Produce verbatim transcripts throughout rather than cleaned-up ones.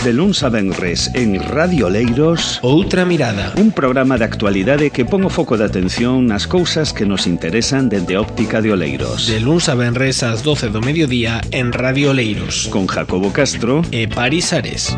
De luns a venres en Radio Oleiros, Outra Mirada, un programa de actualidade que pon o foco de atención nas cousas que nos interesan dende a óptica de Oleiros. De luns a venres ás doce do mediodía en Radio Oleiros, Con Jacobo Castro e Paris Ares.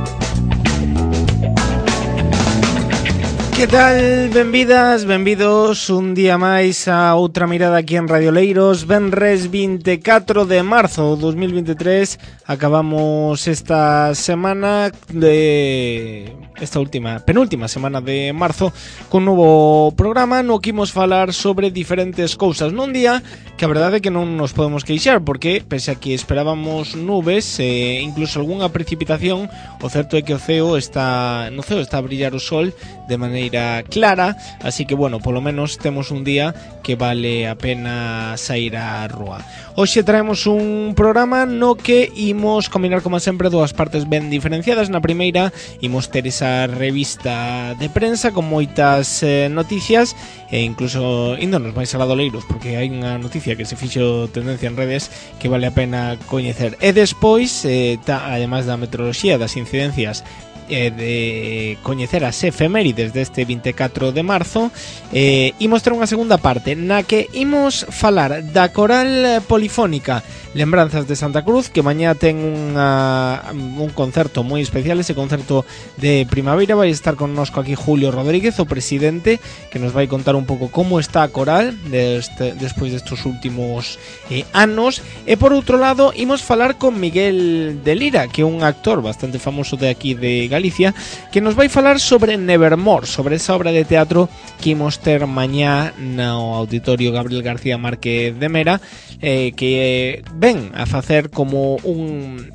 Que tal? Benvidas, benvidos un día máis a Outra Mirada aquí en Radio Oleiros. Venres vinte e catro de marzo de dos mil vinte e tres. Acabamos esta semana de... esta última, penúltima semana de marzo con un novo programa no que imos falar sobre diferentes cousas nun día que a verdade é que non nos podemos queixar, porque pese a que esperábamos nubes e eh, incluso algunha precipitación, o certo é que o ceo está no ceo está a brillar o sol de maneira clara, así que bueno, polo menos temos un día que vale a pena sair á rúa. Hoxe traemos un programa no que imos combinar como sempre dúas partes ben diferenciadas. Na primeira imos ter esa revista de prensa con moitas eh, noticias e incluso índonos máis aladoleiros, porque hai unha noticia que se fixo tendencia en redes que vale a pena coñecer. E despois, eh, ta, ademais da meteoroloxía, das incidencias eh, de coñecer as efemérides deste vinte e catro de marzo, eh, imos ter unha segunda parte na que imos falar da coral polifónica Lembranzas de Santa Cruz, que mañá ten unha, un concerto moi especial, ese concerto de primavera. Vai estar connosco aquí Julio Rodríguez, o presidente, que nos vai contar un pouco como está a coral deste, despois destes últimos eh, anos. E por outro lado, imos falar con Miguel de Lira, que é un actor bastante famoso de aquí de Galicia, que nos vai falar sobre Nevermore, sobre esa obra de teatro que imos ter mañá no Auditorio Gabriel García Márquez de Mera, eh, que ven a facer como un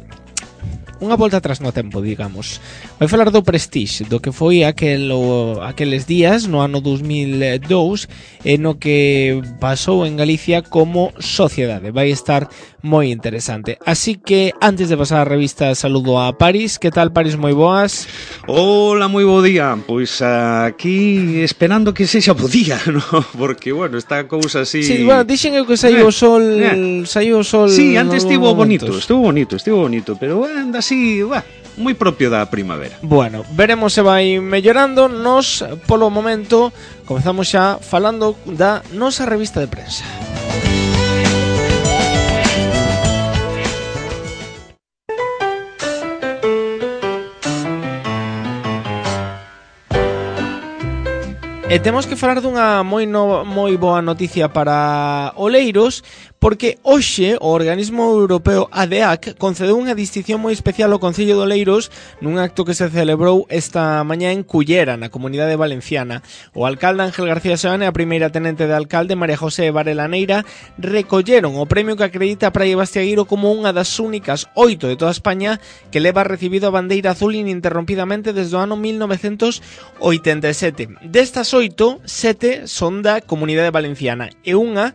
unha volta atrás no tempo, digamos. Vai falar do Prestige, do que foi aquel, o, aqueles días no ano dos mil e dous e no que pasou en Galicia como sociedade. Vai estar moi interesante. Así que, antes de pasar a revista, saludo a Paris. Que tal, Paris? Moi boas. Hola, moi bo día. Pois aquí esperando que sexa bo día, ¿no? Porque, bueno, esta cousa así... Sí, bueno, dixen eu que saiu o sol... Eh. Saiu o sol... Sí, antes estivo bonito, estuvo bonito, estuvo bonito, pero anda así, bah, moi propio da primavera. Bueno, veremos se vai mellorando. Nos, polo momento, comezamos xa falando da nosa revista de prensa. E temos que falar dunha moi, no, moi boa noticia para Oleiros, porque hoxe o organismo europeo A D A C concedeu unha distinción moi especial ao Concello de Oleiros nun acto que se celebrou esta mañá en Cullera, na Comunidade Valenciana. O alcalde Ángel García Seoane e a primeira tenente de alcalde María José Varela Neira recolleron o premio que acredita a Praia Bastiagueiro como unha das únicas oito de toda España que leva recibido a bandeira azul ininterrompidamente desde o ano mil novecentos oitenta e sete. Destas oito, sete son da Comunidade Valenciana e unha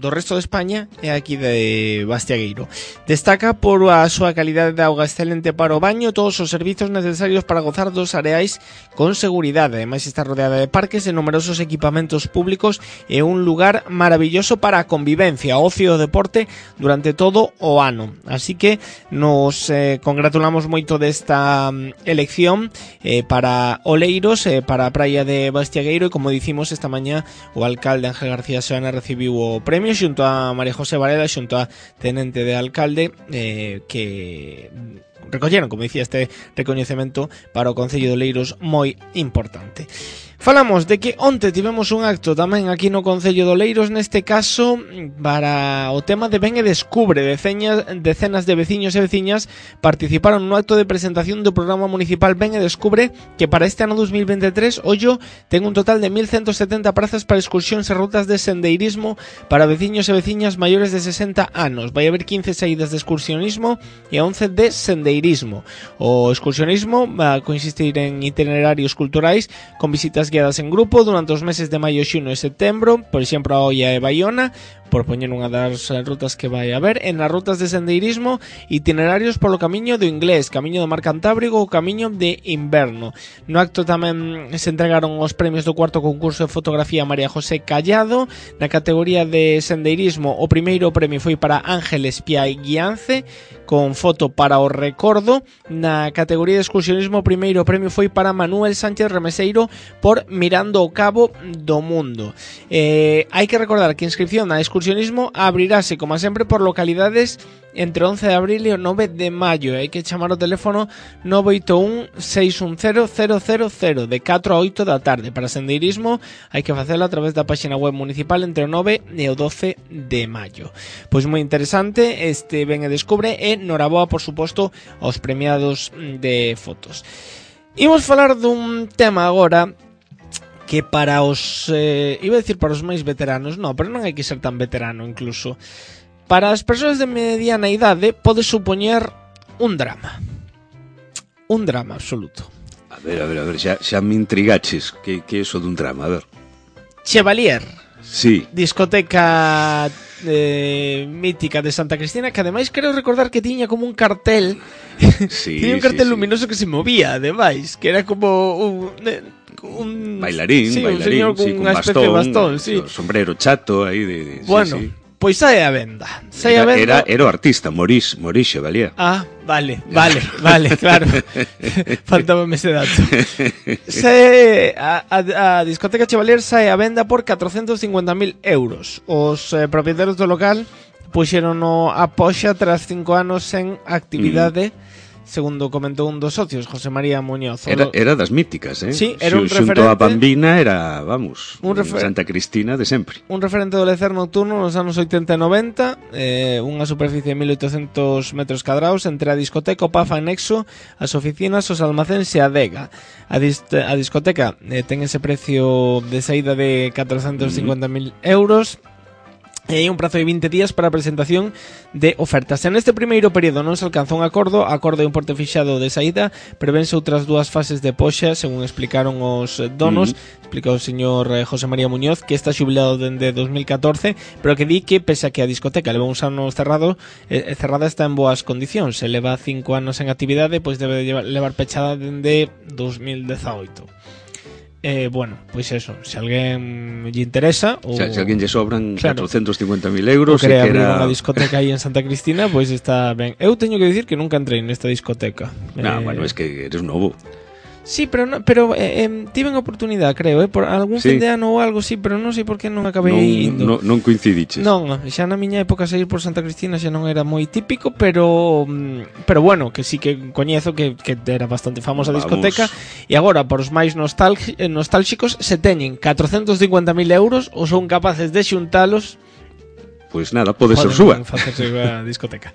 do resto de España é aquí de Bastiagueiro. Destaca por a súa calidade de auga excelente para o baño, todos os servizos necesarios para gozar dos areais con seguridade. Ademais está rodeada de parques e numerosos equipamentos públicos e un lugar maravilloso para a convivencia, ocio e deporte durante todo o ano. Así que nos eh, congratulamos moito desta um, elección eh, para Oleiros, eh, para a praia de Bastiagueiro, e como dicimos esta mañá o alcalde Ángel García Seoane recibiu o premio xunto a María José Varela, xunto a tenente de alcalde, eh, que recolleron, como dicía, este recoñecemento para o Concello de Oleiros moi importante. Falamos de que onte tivemos un acto tamén aquí no Concello de Oleiros, neste caso para o tema de Ven e Descubre. Decenas, decenas de veciños e veciñas participaron no acto de presentación do programa municipal Ven e Descubre, que para este ano dos mil vinte e tres, ollo, ten un total de mil ciento setenta prazas para excursións e rutas de sendeirismo para veciños e veciñas maiores de sesenta anos. Vai haber quince saídas de excursionismo e once de sendeirismo. O excursionismo va a consistir en itinerarios culturais con visitas guiadas en grupo durante os meses de maio, xuno e setembro, por exemplo a Oia e Baiona, por poñer unha das rutas que vai haber. En as rutas de sendeirismo, itinerarios polo camiño do Inglés, camiño do Mar Cantábrico ou camiño de inverno. No acto tamén se entregaron os premios do cuarto concurso de fotografía María José Callado. Na categoría de sendeirismo, o primeiro premio foi para Ángeles Piai Guiance, con foto para o recordo. Na categoría de excursionismo, o primeiro premio foi para Manuel Sánchez Remeseiro por Mirando o Cabo do Mundo. Eh, hai que recordar que a inscripción a excursionismo abrirase, como sempre, por localidades entre once de abril e o nove de maio. Hai que chamar o teléfono nove oito un, seis un cero, cero cero cero de catro a oito da tarde. Para sendeirismo hai que facelo a través da página web municipal entre o nove e o doce de maio. Pois moi interesante, este ven e descubre, e noraboa, por suposto, aos premiados de fotos. Imos falar dun tema agora que para os, eh, iba a decir para os máis veteranos, non, pero non hai que ser tan veterano incluso. Para as persoas de mediana idade pode supoñer un drama. Un drama absoluto. A ver, a ver, a ver, xa, xa me intrigaches. Que, que é eso dun drama? A ver. Chevalier. Sí. Discoteca eh, mítica de Santa Cristina, que ademais creo recordar que tiña como un cartel. Sí, tiña un cartel sí, luminoso sí. que se movía, ademais, que era como un... un bailarín, sí, bailarín, un señor con sí, unha con especie bastón, de bastón, sí. Sombrero chato aí de, de bueno, sí, sí. Pois sae a venda. Sae Era, a venda. era, era o artista, Morís, Morís Chevalier. Ah, vale, vale, vale, claro. Faltábame ese dato. Sae a, a, a discoteca Chevalier sae a venda por catrocentos cincuenta mil euros. Os eh, propietarios do local puxeron a poxa tras cinco anos en actividade. Mm. Segundo comentou un dos socios, José María Muñoz. Era, era das míticas, eh? Sí, era un Xunto referente. a Bambina era, vamos, un refer... Santa Cristina de sempre. Un referente do lecer nocturno nos anos oitenta e noventa, eh, unha superficie de mil oitocentos metros cadrados entre a discoteca, o P A F anexo, as oficinas, os almacéns e a adega. A, dis a discoteca eh, ten ese precio de saída de catrocentos cincuenta mil mm. euros. E hai un prazo de vinte días para a presentación de ofertas. En este primeiro período non se alcanza un acordo, acordo e un porte fixado de saída, prevense outras dúas fases de poxa, según explicaron os donos. Mm. Explica o señor José María Muñoz, que está xubilado dende dos mil catorce, pero que di que, pese a que a discoteca leva uns anos cerrado, eh, cerrada está en boas condicións. Se leva cinco anos en actividade, pois debe de levar pechada dende dos mil dezaoito. Eh, bueno, pois pues eso, se alguén lle interesa ou... Se, se alguén lle sobran claro, catrocentos cincuenta mil euros ou quere abrir era... unha discoteca aí en Santa Cristina, pois pues está ben. Eu teño que dicir que nunca entrei nesta discoteca. No, eh... bueno, es que eres novo. Sí, pero no, pero eh, eh, tiven oportunidade, creo, eh, por algún sí. fin de ano ou algo, sí, pero non sei por que non acabei non, indo. Non, non coincidiches. Non, xa na miña época sair por Santa Cristina xa non era moi típico, pero pero bueno, que sí que coñezo que, que era bastante famosa a discoteca. E agora, por os máis nostálxicos, se teñen catrocentos cincuenta mil euros ou son capaces de xuntalos. Pois nada, pode ser súa. Facerse a discoteca.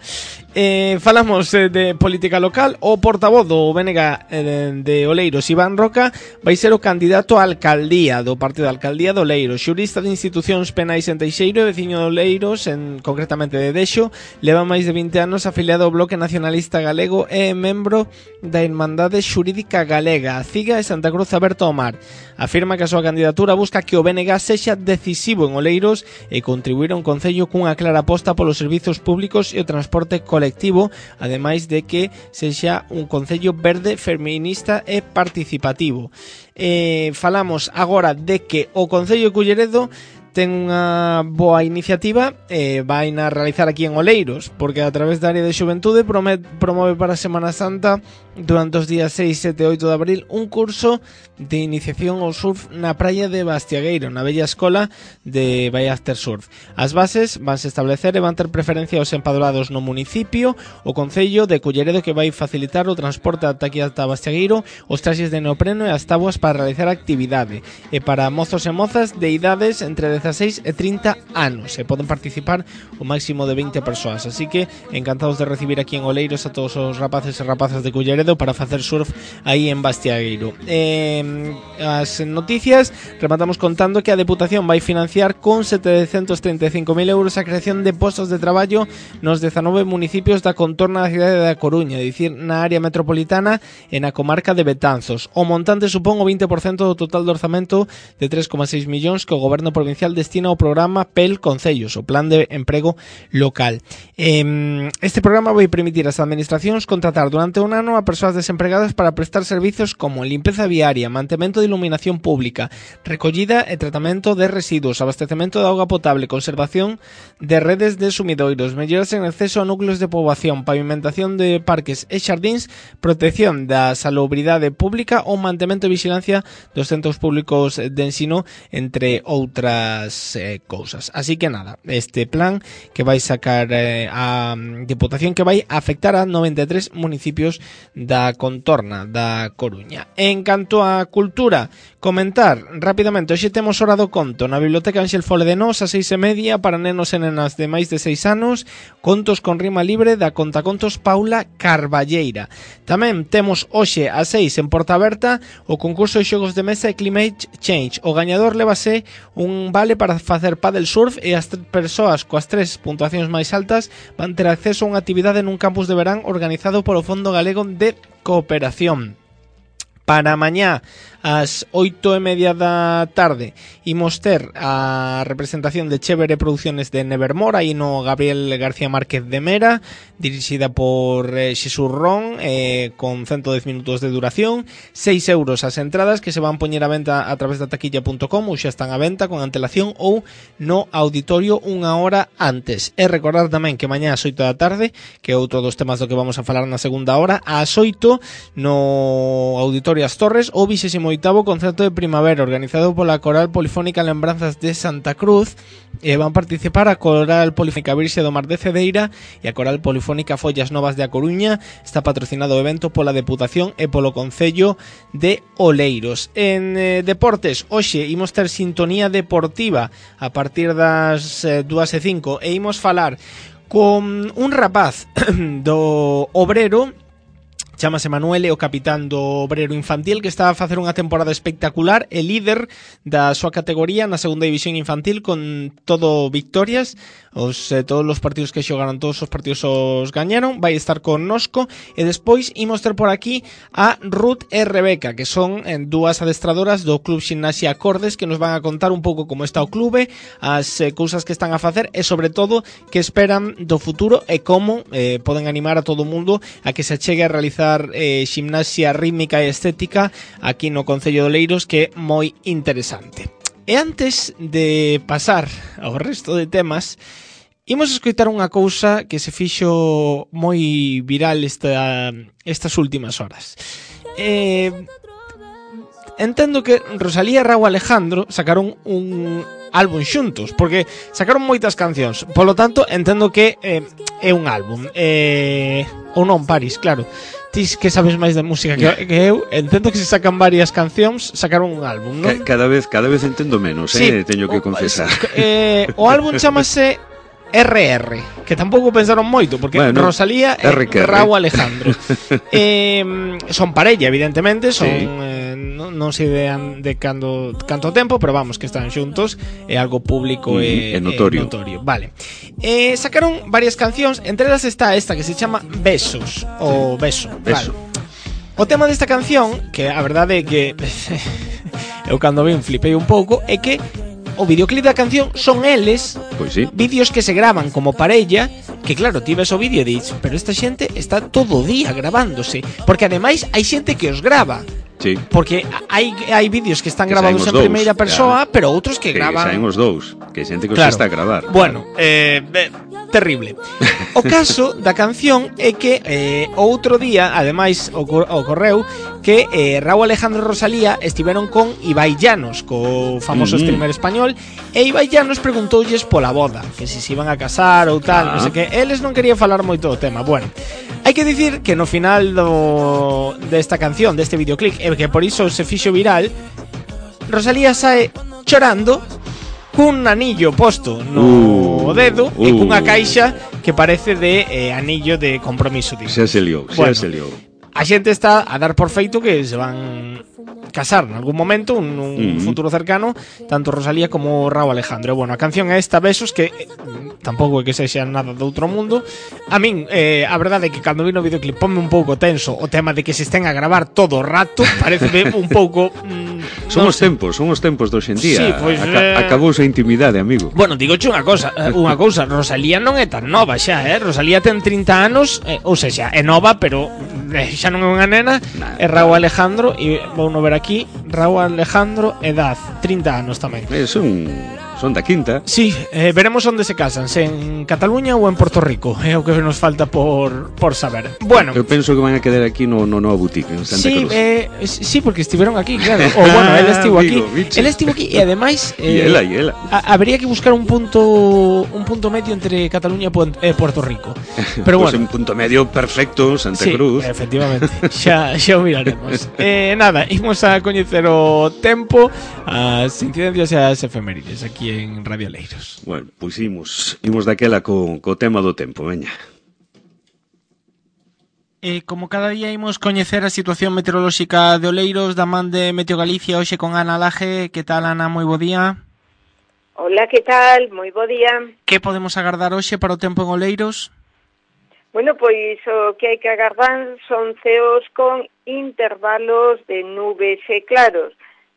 Eh, falamos eh, de política local. O portavoz do B N G eh, de Oleiros, Iván Roca, vai ser o candidato á alcaldía do Partido da Alcaldía de Oleiros. Xurista de institucións penais en Teixeiro e veciño de Oleiros, en, concretamente de Dexo, leva máis de vinte anos afiliado ao Bloque Nacionalista Galego e membro da Irmandade Xurídica Galega, a CIGA e Santa Cruz Aberto ao Mar. Afirma que a súa candidatura busca que o B N G sexa decisivo en Oleiros e contribuir a un concello cunha clara aposta polos servizos públicos e o transporte colectivo, ademais de que sexa un concello verde, feminista e participativo. Eh, falamos agora de que o Concello de Culleredo ten unha boa iniciativa e eh, vai na realizar aquí en Oleiros, porque a través da área de xuventude promove, promove para a Semana Santa durante os días seis, sete e oito de abril un curso de iniciación ao surf na praia de Bastiagueiro, na bella escola de Bay After Surf. As bases vanse establecer e van ter preferencia aos empadroados no municipio, o Concello de Culleredo, que vai facilitar o transporte ata aquí ata Bastiagueiro, os traxes de neopreno e as tabuas para realizar a actividade, e para mozos e mozas de idades entre dezaseis e trinta anos, e poden participar o máximo de veinte persoas, así que encantados de recibir aquí en Oleiros a todos os rapaces e rapazas de Culleredo para facer surf aí en Bastiagueiro. Eh, as noticias rematamos contando que a Deputación vai financiar con setecentos treinta e cinco mil euros a creación de postos de traballo nos dezanove municipios da contorna da cidade da Coruña, é dicir, na área metropolitana e na comarca de Betanzos. O montante supón o vinte por cento do total do orzamento de tres coma seis millóns que o Goberno Provincial destina ao programa P E L Concellos, o Plan de Emprego Local. Eh, este programa vai permitir ás administracións contratar durante un ano a persoas desempregadas para prestar servizos como limpeza viaria, mantemento de iluminación pública, recollida e tratamento de residuos, abastecemento de auga potable, conservación de redes de sumidoiros, melloras en acceso a núcleos de poboación, pavimentación de parques e xardíns, protección da salubridade pública ou mantemento e vigilancia dos centros públicos de ensino, entre outras eh, cousas. Así que nada, este plan que vai sacar eh, a Diputación, que vai afectar a noventa e tres municipios da contorna da Coruña. En canto a cultura, comentar rapidamente, hoxe temos hora do conto na Biblioteca Ángel Fole de Nos a seis e media para nenos e nenas de máis de seis anos, contos con rima libre da contacontos Paula Carballeira. Tamén temos hoxe a seis en Porta Aberta o concurso de xogos de mesa e Climate Change. O gañador lévase un vale para facer paddle surf e as persoas coas tres puntuacións máis altas van ter acceso a unha actividade nun campus de verán organizado polo Fondo Galego de Cooperación. Para mañá, ás oito e media da tarde, imos ter a representación de Chévere Producciones de Nevermore, aí no Gabriel García Márquez de Mera, dirixida por eh, Xesús Ron, eh, con ciento dez minutos de duración, seis euros as entradas que se van poñer a venta a través da taquilla punto com, ou xa están a venta con antelación ou no auditorio unha hora antes. E recordar tamén que mañá ás oito da tarde, que é outro dos temas do que vamos a falar na segunda hora, ás oito no auditorio As Torres, o vixésimo oitavo concerto de primavera organizado pola Coral Polifónica Lembranzas de Santa Cruz, e van participar a Coral Polifónica Virxe do Mar de Cedeira e a Coral Polifónica Follas Novas de A Coruña. Está patrocinado o evento pola Deputación e polo Concello de Oleiros. En eh, deportes, hoxe imos ter sintonía deportiva a partir das eh, dúas e cinco e imos falar con un rapaz do Obrero. Chámase Manuel, é o capitán do Obrero Infantil, que está a facer unha temporada espectacular, e líder da súa categoría na segunda división infantil, con todo victorias. Os, eh, todos os partidos que xogaron, todos os partidos os gañaron. Vai estar connosco. E despois imos ter por aquí a Ruth e Rebeca, que son eh, dúas adestradoras do Club Ximnasia Acordes, que nos van a contar un pouco como está o clube, as eh, cousas que están a facer e, sobre todo, que esperan do futuro e como eh, poden animar a todo o mundo a que se chegue a realizar Eh, ximnasia rítmica e estética aquí no Concello de Oleiros, que é moi interesante. E antes de pasar ao resto de temas, imos escoitar unha cousa que se fixo moi viral esta, estas últimas horas. Eh, entendo que Rosalía e Rauw Alejandro sacaron un álbum xuntos, porque sacaron moitas cancións, polo tanto entendo que eh, é un álbum, eh, ou non, Paris, claro. Tis que sabes máis de música que, que eu, entendo que se sacan varias cancións, sacaron un álbum, non? Cada vez, cada vez entendo menos, sí, eh, teño que confesar. Eh, o álbum chamase R R, que tampouco pensaron moito, porque bueno, Rosalía e Rauw Alejandro eh, son parella, evidentemente, son sí. eh, non, non se idean de cando, canto tempo, pero vamos, que están xuntos, é algo público e, mm, notorio. e notorio. Vale. Eh, sacaron varias cancións, entre elas está esta que se chama Besos, ou Beso, Beso. Vale. O tema desta canción, que a verdade é que eu cando vin flipei un pouco, é que o videoclip da canción son eles, pois sí, vídeos que se graban como parella, que claro, ti ves o vídeo e dis, pero esta xente está todo o día grabándose, porque ademais hai xente que os graba. Sí. Porque hai hai vídeos que están que grabados en dous, primeira persoa, claro, pero outros que, que graban. Que saen os dous, que hai xente que claro. os está a gravar. Bueno, eh, eh terrible. O caso da canción é que eh, outro día, ademais, ocorreu que eh, Rauw Alejandro e Rosalía estiveron con Ibai Llanos, co famoso uh-huh. streamer español, e Ibai Llanos preguntoulles pola boda, que se se iban a casar ou tal, ah. non sei que. Eles non querían falar moito do tema. Bueno, hai que dicir que no final do desta canción, deste videoclip, e que por iso se fixo viral, Rosalía sae chorando cun anillo posto no uh, dedo uh, e cunha caixa que parece de eh, anillo de compromiso. Digo. Xa se liou, xa bueno, se liou. A xente está a dar por feito que se van casar en algún momento, un, un uh-huh. futuro cercano, tanto Rosalía como Rauw Alejandro. Bueno, a canción é esta, Besos, que eh, tampouco é que sexa nada do outro mundo. A min, eh, a verdade é que cando vi no videoclip ponme un pouco tenso o tema de que se estén a gravar todo o rato, parece un pouco mm, Son non os tempos, son os tempos de hoxe en día. Sí, pois, Aca eh... acabouse a intimidade, amigo. Bueno, digoche unha cousa, unha cousa, Rosalía non é tan nova xa, eh? Rosalía ten trinta anos, eh, ou seja, é nova, pero eh, xa non é unha nena. Nah, é Raúl Alejandro, e vou no ver aquí, Raúl Alejandro, edad, trinta anos tamén. É, son... Son da quinta. Sí, eh, veremos onde se casan, se en Cataluña ou en Porto Rico. É o que nos falta por, por saber. Bueno, eu penso que van a quedar aquí no, no Nova Boutique en Santa sí, Cruz. Eh, sí, porque estiveron aquí, claro. O bueno, él estivo aquí. Él estivo aquí e ademais eh, e ela, e ela. A, habría que buscar un punto un punto medio entre Cataluña e Puerto Rico. Pero pues bueno, un punto medio perfecto, Santa sí, Cruz. Efectivamente. Xa xa o miraremos. eh, nada, imos a coñecer o tempo, as incidencias e as efemérides aquí en Radio Oleiros. Bueno, pois imos, imos daquela co, co tema do tempo, veña. Eh, como cada día imos coñecer a situación meteorolóxica de Oleiros da man de Meteo Galicia hoxe con Ana Laje. Que tal, Ana? Moi bo día. Hola, que tal? Moi bo día. Que podemos agardar hoxe para o tempo en Oleiros? Bueno, pois o que hai que agardar son ceos con intervalos de nubes e claros.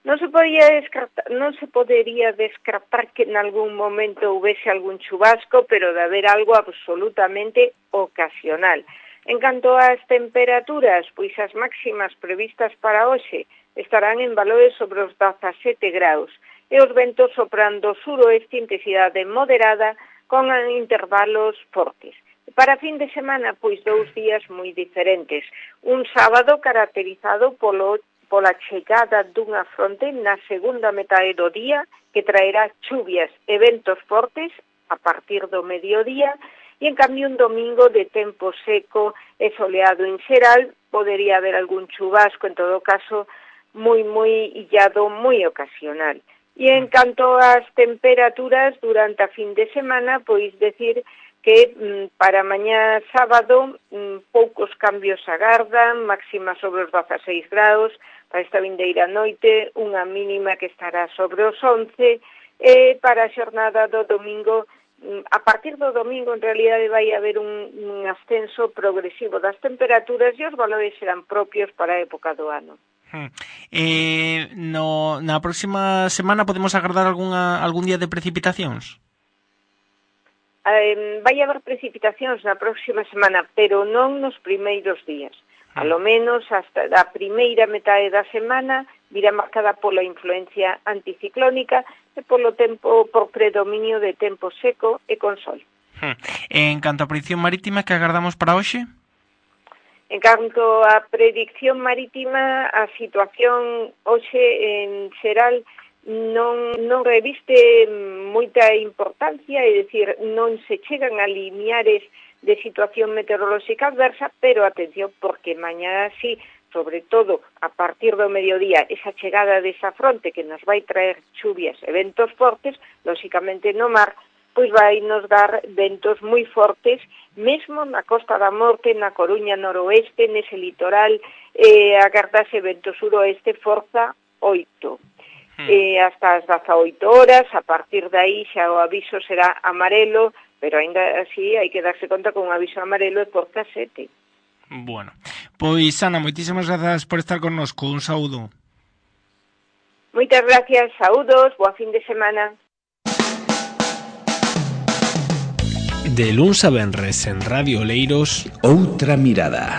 Non se podía descartar, non se podería descartar que en algún momento houvese algún chubasco, pero de haber algo absolutamente ocasional. En canto ás temperaturas, pois as máximas previstas para hoxe estarán en valores sobre os dezasete graus e os ventos soprando suroeste intensidade moderada con intervalos fortes. Para fin de semana, pois dous días moi diferentes. Un sábado caracterizado polo pola chegada dunha fronte na segunda metade do día que traerá chuvias e ventos fortes a partir do mediodía e en cambio un domingo de tempo seco e soleado en xeral, podería haber algún chubasco, en todo caso moi moi illado, moi ocasional. E en canto ás temperaturas durante a fin de semana, pois decir que mm, para mañá sábado mm, poucos cambios agardan, máxima sobre os dezaseis graus, para esta vindeira noite unha mínima que estará sobre os once, e para a xornada do domingo, mm, a partir do domingo en realidade vai haber un, un ascenso progresivo das temperaturas e os valores serán propios para a época do ano. Hmm. Eh, no, na próxima semana podemos agardar algunha, algún día de precipitacións? Eh, vai haber precipitacións na próxima semana, pero non nos primeiros días. A lo menos hasta a primeira metade da semana virá marcada pola influencia anticiclónica e polo tempo por predominio de tempo seco e con sol. Hmm. En canto a predicción marítima, que agardamos para hoxe? En canto a predicción marítima, a situación hoxe en xeral non, non reviste moita importancia, é dicir, non se chegan a lineares de situación meteorolóxica adversa, pero atención, porque mañá sí, sobre todo a partir do mediodía, esa chegada desa fronte que nos vai traer chuvias e ventos fortes, lóxicamente no mar, pois vai nos dar ventos moi fortes, mesmo na Costa da Morte, na Coruña noroeste, nese litoral, eh, agardase vento suroeste, forza oito. Hmm. Eh, hasta as dezaoito horas, a partir de aí xa o aviso será amarelo, pero ainda así hai que darse conta con un aviso amarelo de forza sete. Bueno, pois Ana, moitísimas grazas por estar connosco, un saúdo. Moitas gracias, saúdos, boa fin de semana. De luns a venres en Radio Oleiros, Outra Mirada.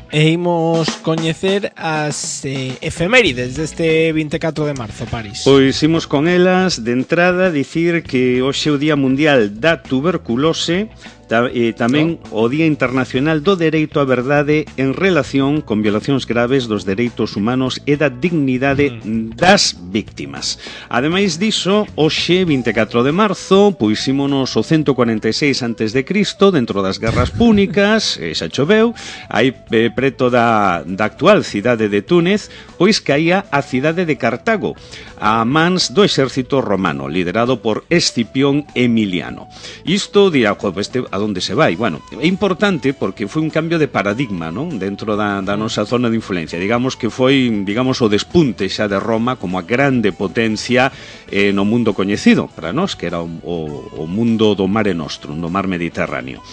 E imos coñecer as eh, efemérides deste vinte e catro de marzo, París. Pois imos con elas. De entrada, dicir que hoxe é o Día Mundial da Tuberculose, e tamén o Día Internacional do Dereito á Verdade en relación con violacións graves dos dereitos humanos e da dignidade das víctimas. Ademais diso, hoxe, vinte e catro de marzo, pois ímonos o cento cuarenta e seis antes de Cristo, dentro das guerras púnicas, e xa choveu, aí eh, preto da, da actual cidade de Túnez, pois caía a cidade de Cartago, a mans do exército romano, liderado por Escipión Emiliano. Isto dirá, este, a donde se vai? Bueno, é importante porque foi un cambio de paradigma, non? Dentro da, da nosa zona de influencia. Digamos que foi, digamos, o despunte xa de Roma como a grande potencia eh, no mundo coñecido para nós, que era o, o, o mundo do Mare Nostrum, do mar Mediterráneo.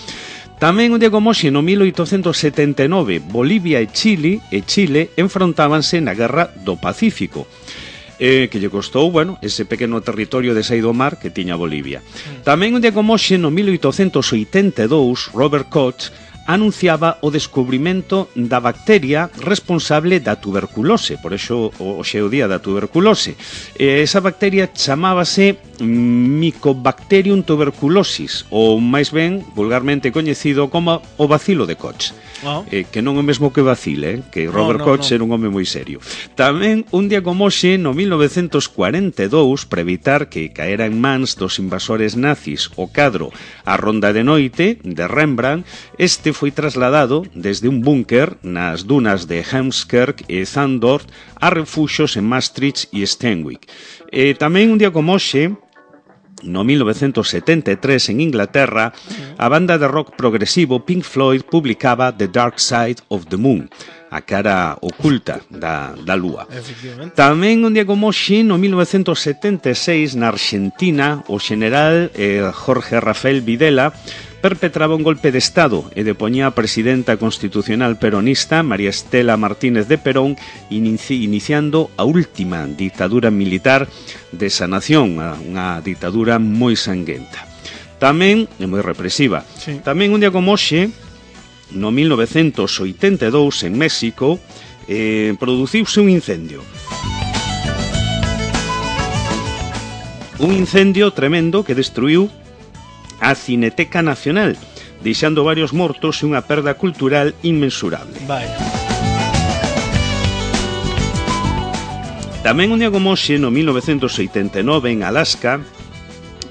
Tamén un día como hoxe, no mil oitocentos setenta e nove, Bolivia e Chile e Chile enfrontábanse na Guerra do Pacífico, eh, que lle costou, bueno, ese pequeno territorio de saído do mar que tiña Bolivia. Tamén un día como hoxe, no mil oitocentos oitenta e dous, Robert Koch anunciaba o descubrimento da bacteria responsable da tuberculose, por iso hoxe é o día da tuberculose. E esa bacteria chamábase Mycobacterium tuberculosis, ou máis ben vulgarmente coñecido como o bacilo de Koch. Oh. Eh, que non é o mesmo que vacile, eh? Que Robert no, no, Koch no. Era un home moi serio. Tamén un día como hoxe, no mil novecentos cuarenta e dous, para evitar que caera en mans dos invasores nazis o cadro A Ronda de Noite de Rembrandt, este foi trasladado desde un búnker nas dunas de Hemskerk e Zandort a refuxos en Maastricht e Steenwijk. E tamén un día como hoxe, no mil novecentos setenta e tres, en Inglaterra, a banda de rock progresivo Pink Floyd publicaba The Dark Side of the Moon, a cara oculta da, da lúa. Tamén un día como hoxe, no mil novecentos setenta e seis, na Argentina, o general eh, Jorge Rafael Videla perpetraba un golpe de Estado e depoñía a presidenta constitucional peronista María Estela Martínez de Perón, inici iniciando a última dictadura militar desa nación, unha dictadura moi sanguenta. Tamén, é moi represiva, sí. Tamén un día como hoxe, no mil novecentos oitenta e dous, en México, eh, produciuse un incendio. Un incendio tremendo que destruiu a Cineteca Nacional, deixando varios mortos e unha perda cultural inmensurable. Vaya. Tamén un día como hoxe, no mil novecentos oitenta e nove, en Alaska,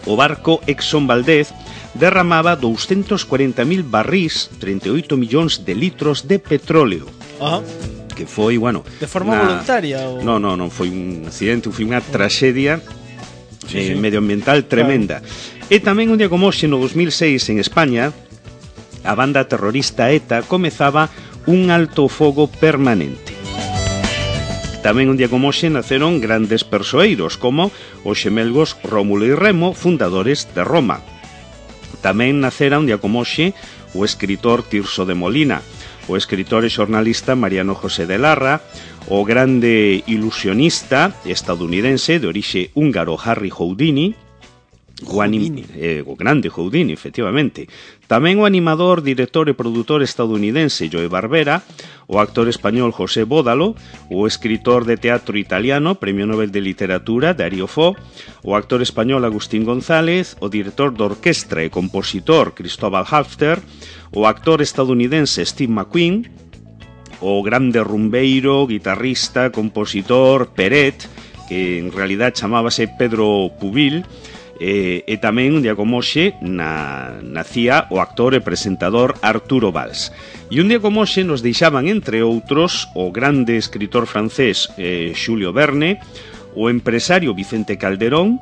o barco Exxon Valdez derramaba doscientos cuarenta mil barrís, treinta e oito millóns de litros de petróleo. Ajá. Que foi, bueno... De forma una... voluntaria? O... No, no, non foi un accidente, foi unha traxedia sí, eh, sí. medioambiental tremenda. Claro. E tamén un día como hoxe, no dos mil seis, en España, a banda terrorista ETA comezaba un alto fogo permanente. Tamén un día como hoxe naceron grandes persoeiros, como os xemelgos Rómulo e Remo, fundadores de Roma. Tamén nacera un día como hoxe o escritor Tirso de Molina, o escritor e xornalista Mariano José de Larra, o grande ilusionista estadounidense de orixe húngaro Harry Houdini, O, anim, eh, o grande Houdini, efectivamente. Tamén o animador, director e produtor estadounidense Joe Barbera, o actor español José Bódalo, o escritor de teatro italiano, Premio Nobel de Literatura Dario Fo, o actor español Agustín González, o director de orquestra e compositor Cristóbal Halfter, o actor estadounidense Steve McQueen, o grande rumbeiro, guitarrista, compositor Peret, que en realidad chamábase Pedro Pubil. E, e tamén un día como hoxe na, nacía o actor e presentador Arturo Valls. E un día como hoxe nos deixaban, entre outros, o grande escritor francés eh, Xulio Verne, o empresario Vicente Calderón,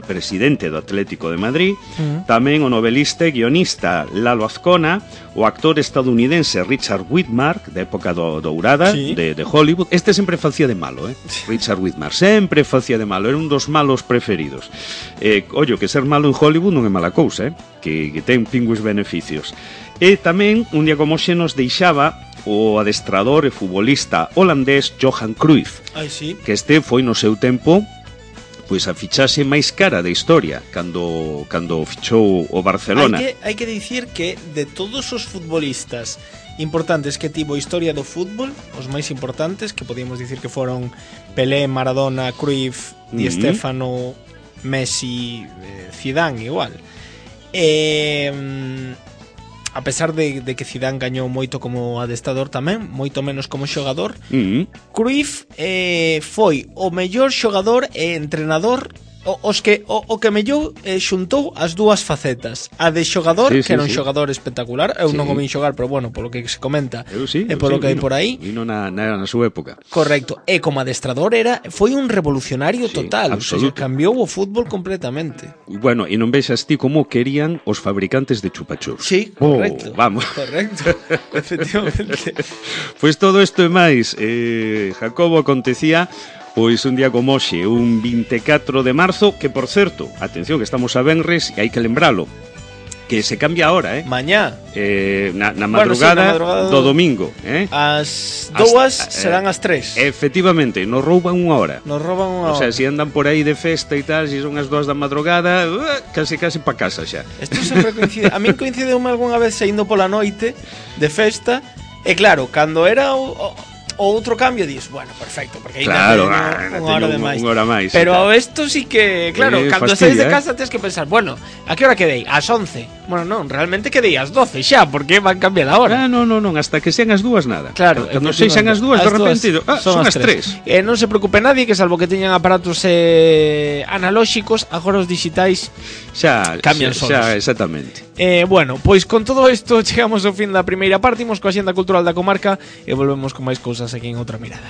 presidente do Atlético de Madrid, uh-huh. tamén o novelista e guionista Lalo Azcona, o actor estadounidense Richard Widmark, da época do, dourada sí. de, de Hollywood. Este sempre facía de malo, eh? Richard Widmark, sempre facía de malo, era un dos malos preferidos. Eh, ollo, que ser malo en Hollywood non é mala cousa, eh? que, que ten pingües beneficios. E tamén, un día como xe nos deixaba o adestrador e futbolista holandés Johan Cruyff, Ay, sí. que este foi no seu tempo pois a fichaxe máis cara da historia cando cando fichou o Barcelona. Hai que, hai que dicir que de todos os futbolistas importantes que tivo a historia do fútbol, os máis importantes, que podíamos dicir que foron Pelé, Maradona, Cruyff, Di mm-hmm. Stéfano, Messi, eh, Zidane igual. Eh, a pesar de, de que Zidane gañou moito como adestrador tamén, moito menos como xogador, mm-hmm. Cruyff eh, foi o mellor xogador e entrenador, o, os que, o, o que mellor eh, xuntou as dúas facetas. A de xogador, sí, sí, que era un sí. xogador espectacular, eu sí. non o vin xogar, pero bueno, polo que se comenta, eu sí, e polo sí, que hai por aí. Vino na, na, na súa época. Correcto, e como adestrador era, foi un revolucionario sí, total, o sea, cambiou o fútbol completamente. Bueno, e non vexas ti como querían os fabricantes de chupachups. Sí, correcto. Oh, vamos. Correcto, efectivamente. Pois pues todo isto e máis, eh, Jacobo, acontecía pois un día como hoxe, un vinte e catro de marzo, que por certo, atención que estamos a venres e hai que lembralo, que se cambia ahora, eh? Mañá. Eh, na, na madrugada, bueno, sí, na madrugada do domingo, eh? As dúas as, serán eh, as tres. Efectivamente, nos rouban unha hora. Nos rouban unha hora. O sea, se si andan por aí de festa e tal, se si son as dúas da madrugada, uh, casi casi pa casa xa. Isto sempre coincide. A min coincideume algunha vez saindo pola noite de festa, e claro, cando era o, o O outro cambio dis, bueno, perfecto, porque aí claro, unha hora de máis. Unha hora máis. Pero isto sí que, claro, eh, cando saís de casa eh? tens que pensar, bueno, a que hora quedei? Ás once. Bueno, non, realmente quedei ás doce xa, porque van cambiar a hora. Ah, non, non, non, hasta que sean as dúas nada. Claro, cando sexan as dúas, de repente, ah, son, son as tres. E eh, non se preocupe nadie, que salvo que teñan aparatos eh, analóxicos, agora os digitais xa cambian xa, solos. Xa, exactamente. Eh, bueno, pois con todo isto chegamos ao fin da primeira parte, imos coa Axenda Cultural da Comarca e volvemos con máis cousas aquí en Outra Mirada.